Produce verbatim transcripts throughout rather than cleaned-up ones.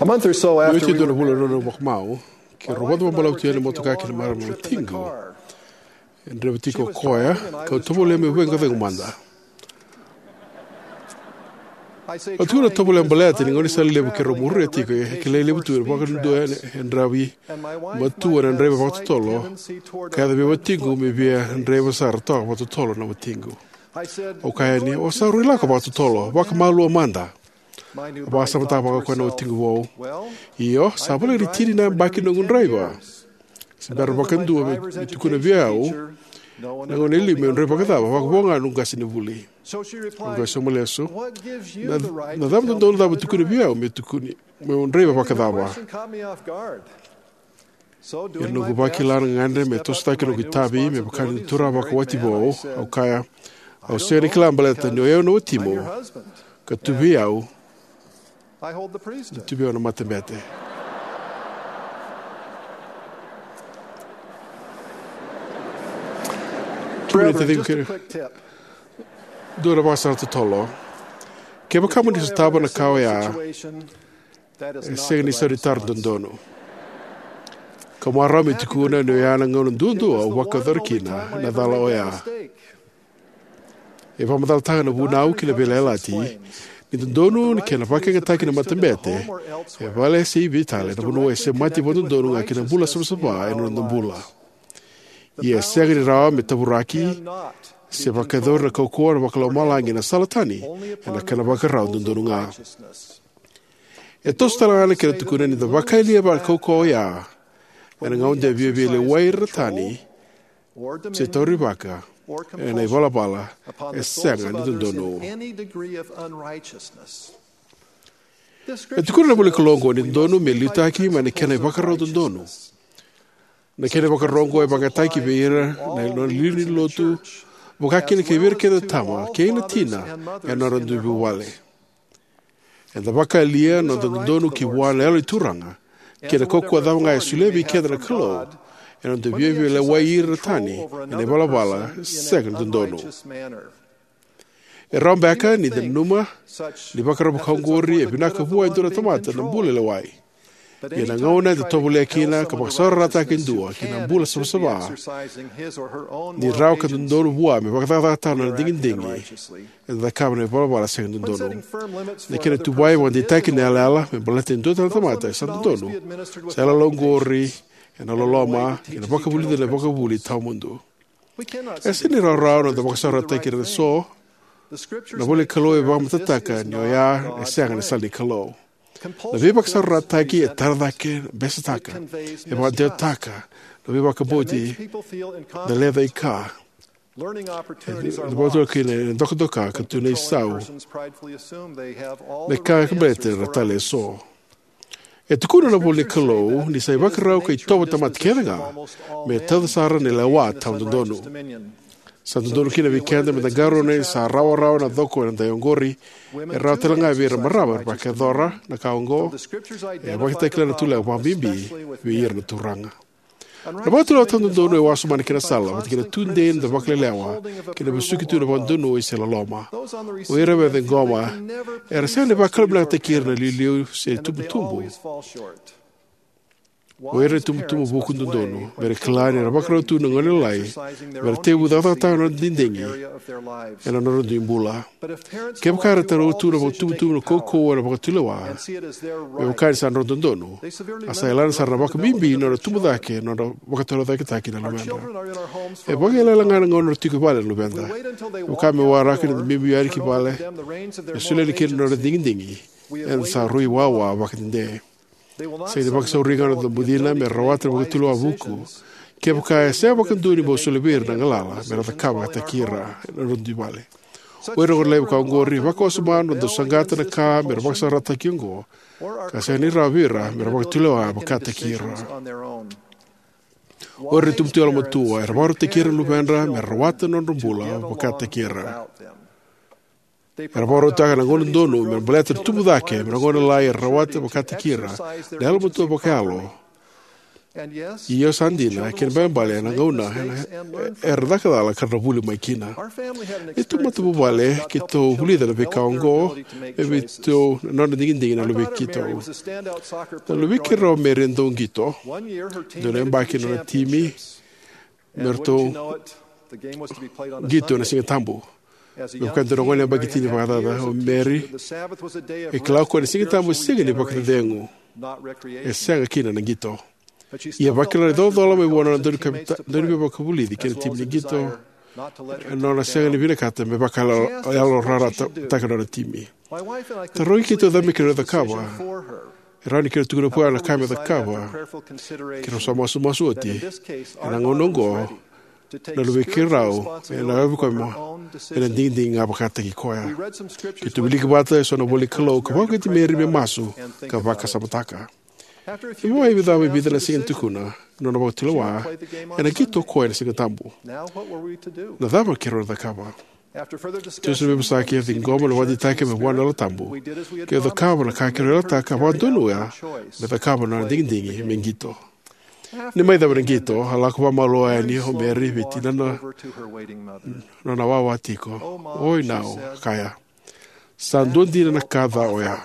A month or so Io after ti we dua na were vula na nona vakamau, keirau vakacaca vakabalavu tu yani na motoka kei na marama na watiqu. E draiva tiko o koya, kau tovolea meu vaqo cegu mada. Au tukuna tovolea baleta ni gaunisala levu keirau muria tiko e kilai levu tu e vakadua e draivi matua na draiva vakatotolo, ka yaco vei watiqu me via draiva sara toka vakatotolo na watiqu. Au kaya yani, o sa rui lako vakatotolo, vakamalua mada. A vakasamataka vakakoya na watiqu vou. Io, sa voleka ni tini na yabaki noqu draiva. Se bera vakadua me, me tukuna vei au na gauna e liu meu draiva vakacava, vakavo ga noqu qasenivuli. Au qai sauma lesu. Na, na cava dodonu cava tukuna vei au me tukuni, meu draiva vakacava? Ia noqu vakila na gagadre me tosotaki noqu itavi me vaka ni turaga vakawati vou, au kaya, au sega ni kila baleta ni o yau na watimu, ka tu vei au, ni tu vei au na matabete. Tukuna taciqu kei, dua na vakasara totolo. Kevaka mo ni sotava na ka oya, e sega ni sa ni taro dodonu. Ka marau me tukuna ni oya na gauna duadua au vakayacora kina na cala oya. E vakamacalataka na vunau kei na veiyalayalati ni dodonu ni kena vakayagataki na matabete e vale se i vei tale na vanua e semati vakadodonu ga kina bula savasava ena noda bula. Ia e sega ni rawa me tavuraki se vakayacori na kaukauwa na vakalomalagi na sala tani ena kena vakarau dodonu ga. E toso tale ga na kena tukuna ni da vakayalia vaka na kaukauwa oya ena gauna de viavia lewai ira na tani se taurivaka ena ivalavala e sega ni dodonu. E tukuna na ivolanikalou oqo ni dodonu me liutaki mai na kena ivakarau dodonu. Na kena ivakarau oqo e vakayagataki vei ira na nona liuliu ni lotu, vaka kina kei vei ira kece na tama kei na tina ena nodra dui vuvale. Eda vakayalia na noda dodonu ki vua na Yalo ni Turaga kei na kaukauwa cava ga e solia vei keda na Kalou ena noda viavia lewai ira na tani ena ivalavala sega ni dodonu. E rawa beka ni da nanuma ni vakarau vaka oqori e vinaka vua e dua na tamata na bula lewai. Ia na gauna eda tovolea kina ka vakasaurarataka e dua ki na bula savasava, ni rawa ka dodonu vua me vakacakacakataka na nona digidigi, eda cakava na ivalavala sega ni dodonu. Na kena tuvai vakadeitaki na yalayala me baleta e dua tale na tamata e sa dodonu, sa yalayala oqori ena loloma kei na vakavulica na ivakavuvuli tawamudu. E sega ni rawarawa na noda vakasaurarataki ira eso. Na ivolanikalou e vakamatatataka ni oya e sega ni sala ni Kalou. Na veivakasaurarataki e tara cake, besetaka, e vakadewataka na veivakabauti, na lecaika, na vakatulewa kei na dokadoka ka tu na isau me ka baleta ira tale eso. E tukuna na ivolanikalou ni sa ivakarau ka itovo tamata kece ga me tauca sara na lewa tawa dodonu. Sa dodonu kina vei keda me da qarauna ni sa rawarawa na coko ena dai oqori. E rawa tale ga vei ira marama era vakayacora na ka oqo. E vakatakila na tulewa vakabibi vei ira na turaga. Na vakatulewa tawa dodonu e wasoma na kena sala vata kei na tudei ni da vakalelewa kei na vesuki tu na vakadonui se loloma. O ira me ciqoma era sega ni vakalougatataki ira na liuliu se tubutubu. O ira na tubutubu vuku dodonu me ra kila ni ra vakarau tu na gone lalai me ra tekivu cakacakataka na nodra digidigi ena nodra dui bula. Kevaka era taura tu na vakatubutubu na kaukauwa ena vakatulewa me vaka ni sa nodra dodonu, a sa yalana sara na vakabibi na nodra tubu cake na nodra vakatorocaketaki na luveda. E vakayalayala ga na gauna era tiko i vale na luveda. E vaka me waraka ni da biubiu yani ki vale me solia yani kina na nodra digidigi, eda sa rui wawa vakadede. Sega ni vakasauri ga na noda bucina me rawata na vakatulewa vuku kevaka e sega vakadua ni bau solia vei ira na galala me ra cakava vakataki ira na nodra dui vale. O ira na gone lalai vaka oqori, vakawasoma na noda saqata na ka me ra vakasaurarataki oqo, ka sega ni rawa vei ira me ra vakatulewa vakataki ira. O ira na itubutubu yalomatua era vakarautaki ira na luvedra me ra rawata na nodra bula vakataki ira. Era vakarautaka na gauna donu me baleta na tubu cake me na gauna lalai era rawata vakataki ira na yalomatua vakayalo. Io, sa dina, kena ibalebale ena gauna era caka cala ka ra vuli mai kina. Neitou matavuvale keitou vulica na veika oqo me veitou na nodra digidigi na luvei keitou. Na luvei keirau o Mary e dau qito. Dua na yabaki na nona timi me ratou qito ena Siga Tabu. Me vaka e dua na gone yabaki tini vakacaca, o Mary e kila o koya ni Siga Tabu e siga ni vakacecegu, e sega kina na qito. Ia e vakila na icolacola mai vua na nona dauniveivakavulici kei na timi ni qito, ena nona sega ni vinakata me vakayalorarataka na nona timi. Tarogi keitou cava me keirau cakava. E rawa ni keirau tukuna vua na ka me cakava. Keirau sa masumasu oti. Ena gauna oqo, na luvei keirau ena yaco vei koya me na digidigi ga vakataki koya. Keitou wilika vata eso na ivola ni Kalou ka vakauqeti Mary me masu ka vakasamataka. Ni mai cava e vica na siga ni tukuna na nona vakatulewa, ena qito o koya ena Siga Tabu. Na cava keirau na cakava? Tou sa veivosaki, a ciqoma na vakadeitaki mai vua na Yalo Tabu. Keirau cakava na ka keirau yalataka, vakadonuya me cakava na nona digidigi me qito. Ni mai cava na qito, a lako vakamalua yani o Mary vei tinana nona wawa tiko. Oi nau, a kaya. Sa dua dina na ka ca oya.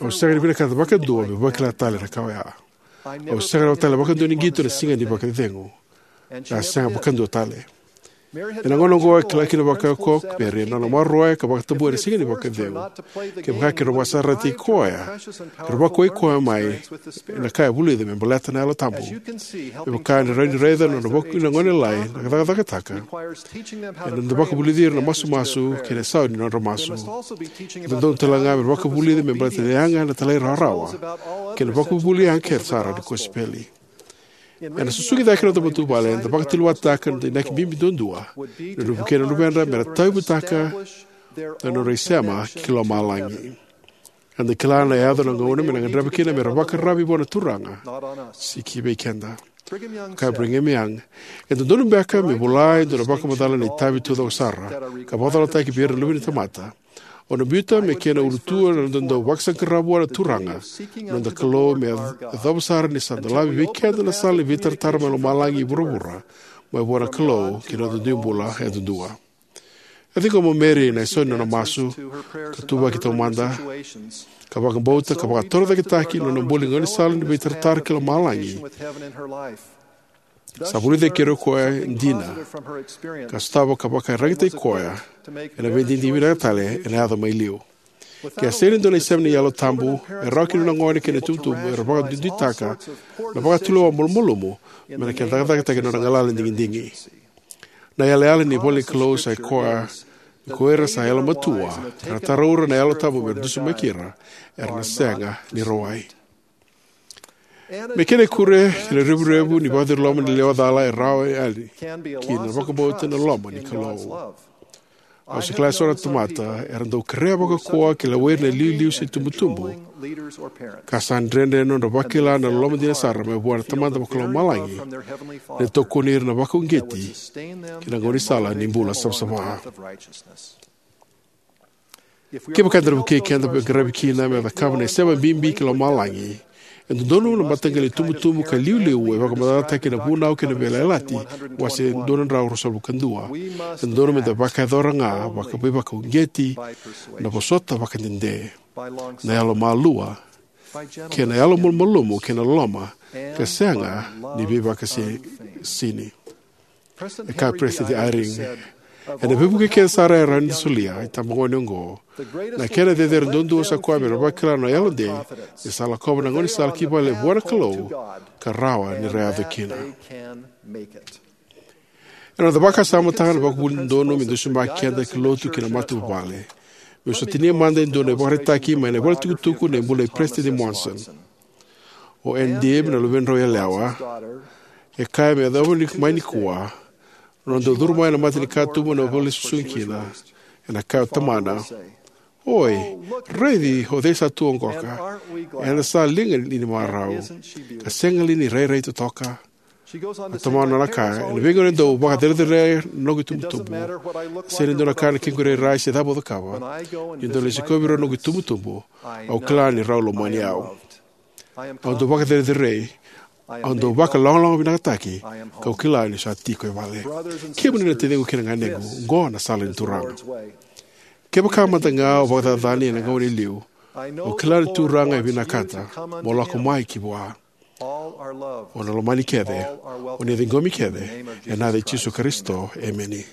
Au sega ni vinakata vakadua meu vakila tale na ka oya. Au sega tale vakadua ni qito ena siga ni vakacecegu. Ka sega vakadua tale. Ena gauna oqo e kila kina vakaoqo o Mary na nona maroroya ka vakatabuya na siga ni vakacecegu. Kevaka keirau vakasarasarataki koya, keirau vakauwai koya mai ena ka e vulica me baleta na Yalo Tabu. Me vaka ni rawa ni raica na nona vuku na gone lalai na cakacakataka. Ena dau vakavulici ira na masumasu kei na isau ni nodra masu. E dodonu tale ga me ra vakavulica me baleta na yaga, na talairawarawa kei na vakavuvuli yaga kece sara ni kosipeli. Ena susugi cake na noda matavuvale, eda vakatulewataka na noda inaki bibi duadua, na luve kei na luvedra me ra tauyavutaka na nodra isema ki lomalagi. Eda kila ni yaco na gauna me na gadreva kina me ra vakararavi vua na Turaga, sega ni vei keda. Kaya o Brigham Young, e dodonu beka me vola e dua na vakamacala na itavi taucoko sara ka vakacolataki vei ira na luve ni tamata. Au na biuta me kena ulutu na noda dau vakasaqara vua na Turaga, na noda Kalou, me yacova sara ni sa dolavi vei keda na sala ni veitaratara mai lomalagi i vuravura, mai vua na Kalou ki na noda dui bula yadudua. E ciqoma o Mary na isau ni nona masu, ka tuvaki taumada, ka vakabauta, ka vakatorocaketaki na nona buli gaunisala ni veitaratara ki lomalagi. Sa vulica kina o koya e dina, ka sotava ka vakaraitaki koya ena veidigidigi vinaka tale ena yaco mai liu. Ke a sega ni dua na isema ni Yalo Tabu, e rawa kina na gone kei na itubutubu era vakaduiduitaka na vakatulewa malumalumu me na kena cakacakataki na nodra galala ni digidigi. Na yalayala ni ivola ni Kalou sa i koya ni ko ira sa yalomatua, ka ra taraura na Yalo Tabu me ra dusimaki ira, era na sega ni rawai. Me kena ikuri, kei na revurevu ni vakacuruloma ni lewa cala e rawa yani kina na vakabauta na loma ni Kalou. Au sa kila eso na tamata era dau kerea vakaukauwa ke lewai ira na iliuliu se itubutubu, ka sa dredre na nodra vakila na loloma dina sara mai vua na Tamada Vakalomalagi, ni tokoni ira na vakauqeti ki na gaunisala ni bula savasava. Kevaka eda na vukei keda me qaravi kina me cakava na isema bibi ki lomalagi, e dodonu na mataqali itubutubu ka iliuliu e vakamacalataki ena Vunau kei na Veiyalayalati, wase dua na drau ruasagavulu ka dua. E dodonu meda vakayacora ga vaka veivakauqeti, na vosota vakadede, na yalomalua, kei na yalomalumalumu, kei na loloma, ka sega ni veivakaisini. E kaya o Peresitedi Eyring, ena veivuke kece sara e rawa ni da solia, itabagone oqo, na kena cecere duadua sa koya me ra vakila na yalodei ni sa lakova na gaunisala ki vale vua na Kalou, ka rawa ni ra yaco kina. Ena noda vakasamataka na vakavuvuli dodonu me dusimaki keda ki lotu kei na matavuvale, meu sa tinia mada e dua na ivakaraitaki mai na ivolatukutuku Na iBula i Peresitedi Monson. O Ann Dibb, na luvedrau yalewa, e kaya me yacova mai nikua, nona dau curu mai na mata ni katuba na vale e susugi kina, ena kaya o tamana, "Oi, raici o cei sa tu oqoka, eda sa liga ni marau, ka sega li ni rairai totoka?" A tamana na kaya, "Ena veigauna e dau vakacerecerei na noqu itubutubu. Sega ni dua na ka na kequ irairai se cava au cakava. Niu dau lai sikovi rau na noqu itubutubu, au kila ni rau lomani au. Au dau vakacerecerei, Au dau vakalogaloga vinakataki, kau kila niu sa tiko e vale. Kemuni na taciqu kei na ganequ, oqo na sala ni Turaga. Kevaka mada ga o vakacacani ena gauna e liu, au kila na Turaga e vinakata mo lako mai ki vua. O na lomani kece, o ni ciqomi kece, ena yaca i Jisu Karisito, emeni.